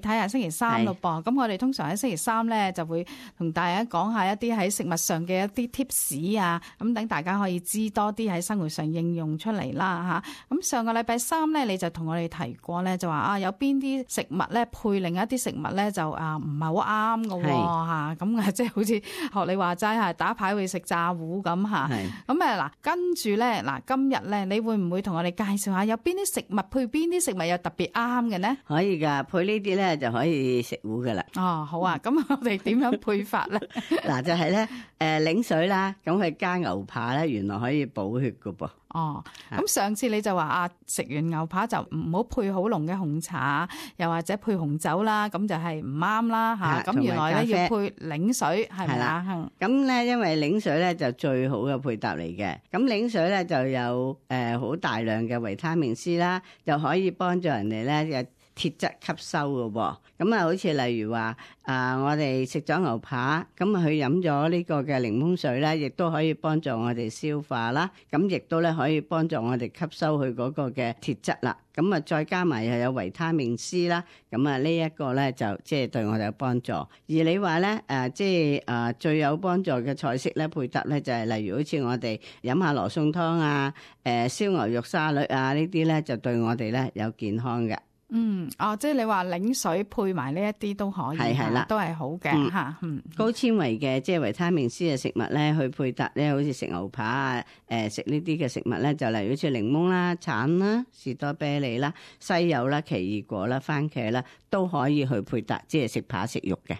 睇下星期三咯噃。咁我哋通常喺星期三咧就會同大家講下一啲喺食物上嘅一啲 tips 啊，咁等大家可以知多啲喺生活上應用出嚟啦嚇。咁上個禮拜三咧，你就同我哋提過咧，就話有邊啲食物咧配另一啲食物咧就唔係好啱㗎喎。咁即係好似學你話齋係打牌會食炸糊咁嚇。咁嗱跟住咧今日咧你會唔會同我哋介紹下有邊啲食物配邊啲食物又特別啱嘅呢？可以㗎，配呢啲咧就可以食糊㗎啦。好啊，咁我哋點樣配法咧？嗱就係咧檸水啦，咁佢加牛扒咧，原來可以補血㗎噃。咁上次你就話食完牛扒就唔好配好濃嘅紅茶，又或者配紅酒啦，咁就係唔啱啦嚇。咁原來咧要配檸水係咪啊？咁咧因為檸水咧就最好嘅配搭嚟嘅。咁檸水咧就有好大量嘅維他命 C 啦，就可以幫助人哋咧鐵質吸收嘅喎。咁好似例如話我哋食咗牛扒，咁佢飲咗呢個嘅檸檬水咧，亦都可以幫助我哋消化啦。咁亦都咧可以幫助我哋吸收佢嗰個嘅鐵質啦。咁再加埋又有維他命 C 啦。咁呢一個咧就即係對我哋有幫助。而你話咧即係最有幫助嘅菜式咧配搭咧就係例如好似我哋飲下羅宋湯啊、燒牛肉沙律啊呢啲咧就對我哋咧有健康嘅。即係你話檸水配埋呢一啲都可以，係啦，都係好嘅嚇。高纖維嘅即係維他命 C 嘅食物咧，去配搭咧，好似食牛扒啊，食呢啲嘅食物咧，就例如好似檸檬啦、橙啦、士多啤梨啦、西柚啦、奇異果啦、番茄啦，都可以去配搭，即係食扒食肉嘅。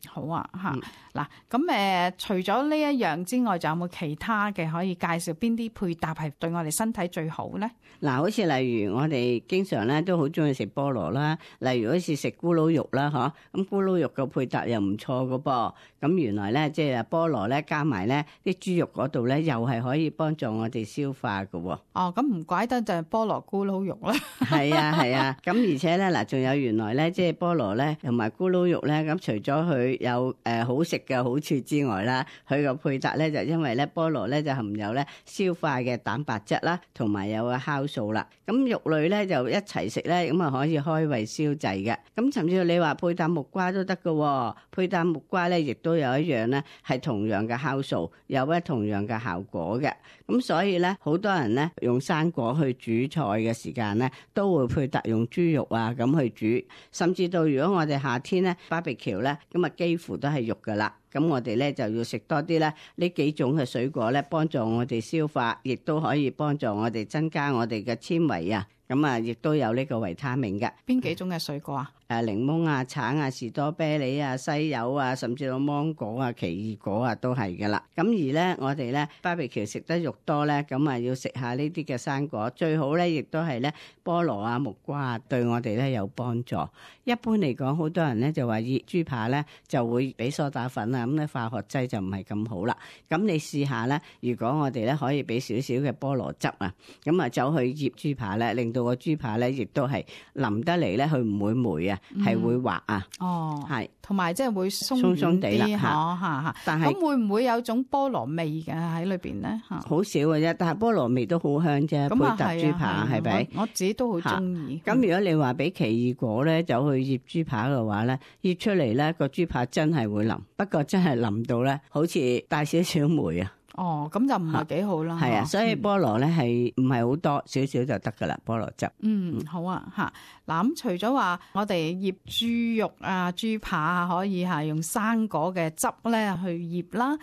好啊嚇。嗱咁除咗呢一樣之外，仲有冇其他嘅可以介紹邊啲配搭係對我哋身體最好咧？嗱，好似例如我哋經常咧都好中意食菠蘿啦，例如好似食咕嚕肉啦，咁咕嚕肉嘅配搭又唔錯㗎噃。咁原來咧即係菠蘿咧加埋咧啲豬肉嗰度咧，又係可以幫助我哋消化㗎。咁唔怪得就係菠蘿咕嚕肉啦。係啊，咁而且咧嗱，仲有原來咧即係菠蘿咧同埋咕嚕肉咧，咁除咗佢有好食嘅好處之外啦，佢個配搭咧就因為咧菠蘿咧就含有咧消化嘅蛋白質啦，同埋有個酵素啦。咁肉類咧就一齊食咧，咁可以開胃消滯嘅。咁甚至你話配搭木瓜都得㗎，配搭木瓜咧亦都有一樣咧係同樣嘅酵素，有咧同樣嘅效果嘅。咁所以咧好多人咧用生果去煮菜嘅時間咧，都會配搭用豬肉啊咁去煮，甚至到如果我哋夏天咧 barbecue 咧，咁幾乎都係肉㗎啦。咁我哋咧就要食多啲咧呢幾種嘅水果咧，幫助我哋消化，亦都可以幫助我哋增加我哋嘅纖維啊。咁亦都有呢個維他命嘅。邊幾種嘅水果啊？檸檬啊、橙啊、士多啤梨啊、西柚啊，甚至到芒果啊、奇異果啊都係㗎啦。咁而咧我哋咧 barbecue 食得肉多咧，咁要食下呢啲嘅生果，最好咧亦都係咧菠蘿啊、木瓜啊，對我哋咧有幫助。一般嚟講，好多人咧就話醃豬扒咧就會俾梳打粉啊，咁咧化學劑就唔係咁好啦。咁你試下咧，如果我哋咧可以俾少少嘅菠蘿汁啊，咁走去醃豬扒咧，令到個豬扒咧亦都係腍得嚟咧，佢唔會霉啊。係會滑啊，係，同埋即係會鬆地啦嚇。但係咁會唔會有種菠蘿味嘅喺裏邊咧？好少嘅啫，但係菠蘿味都好香啫。配搭豬扒係咪？我自己都好中意。咁如果你話俾奇異果咧走去醃豬扒嘅話咧，醃出嚟咧個豬扒真係會腍，不過真係腍到咧好似帶少少霉啊。咁就唔係幾好啦。係啊，所以菠蘿咧係唔係好多，少少就得噶啦，菠蘿汁。好啊嚇。嗱咁除咗話我哋醃豬肉啊、豬扒啊，可以係用生果嘅汁咧去醃啦。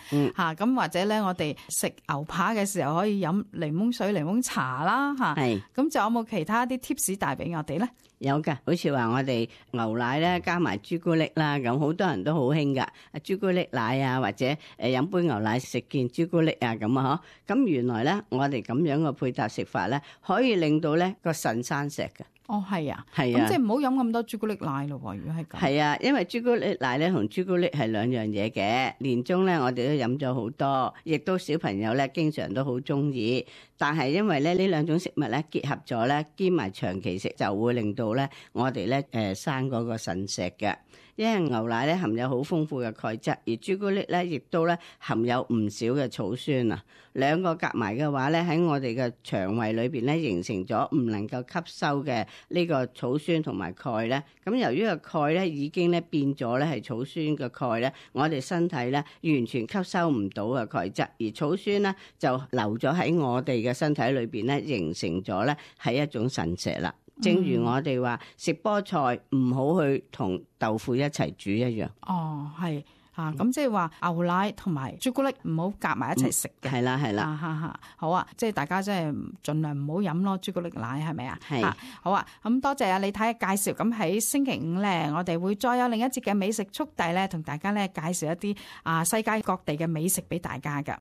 咁或者咧我哋食牛扒嘅時候可以飲檸檬水、檸檬茶啦嚇。係。咁仲有冇其他啲 tips 帶俾我哋咧？有㗎，好似話我哋牛奶咧加埋朱古力啦，咁好多人都好興㗎。朱古力奶啊，或者飲杯牛奶食件朱古力啊咁啊嗬。咁原來咧，我哋咁樣嘅配搭食法咧，可以令到咧個腎生石嘅。係啊，咁即係唔好飲咁多朱古力奶咯喎。如果係咁，係啊，因為朱古力奶咧同朱古力係兩樣嘢嘅。年中咧，我哋都飲咗好多，亦都小朋友咧經常都好中意。但係因為咧呢兩種食物咧結合咗咧，兼埋長期食就會令到咧我哋咧生嗰個腎石嘅。因為牛奶咧含有好豐富嘅鈣質，而朱古力咧亦都咧含有唔少嘅草酸啊。兩個夾埋嘅話咧，喺我哋嘅腸胃裏邊咧形成咗唔能夠吸收嘅呢個草酸同埋鈣咧。咁由於個鈣咧已經咧變咗咧係草酸嘅鈣咧，我哋身體咧完全吸收唔到嘅鈣質，而草酸咧就留咗喺我哋嘅身體裏邊咧，形成咗咧係一種腎石啦。正如我哋話食菠菜唔好去同豆腐一齊煮一樣。哦，係。咁即係話牛奶同埋朱古力唔好夾埋一齊食嘅。係啦係啦。好啊，即係大家真係盡量唔好飲咯，朱古力奶係咪啊？係。好啊，咁多謝李太嘅介紹。咁喺星期五咧，我哋會再有另一節嘅美食速遞咧，同大家咧介紹一啲世界各地嘅美食俾大家㗎。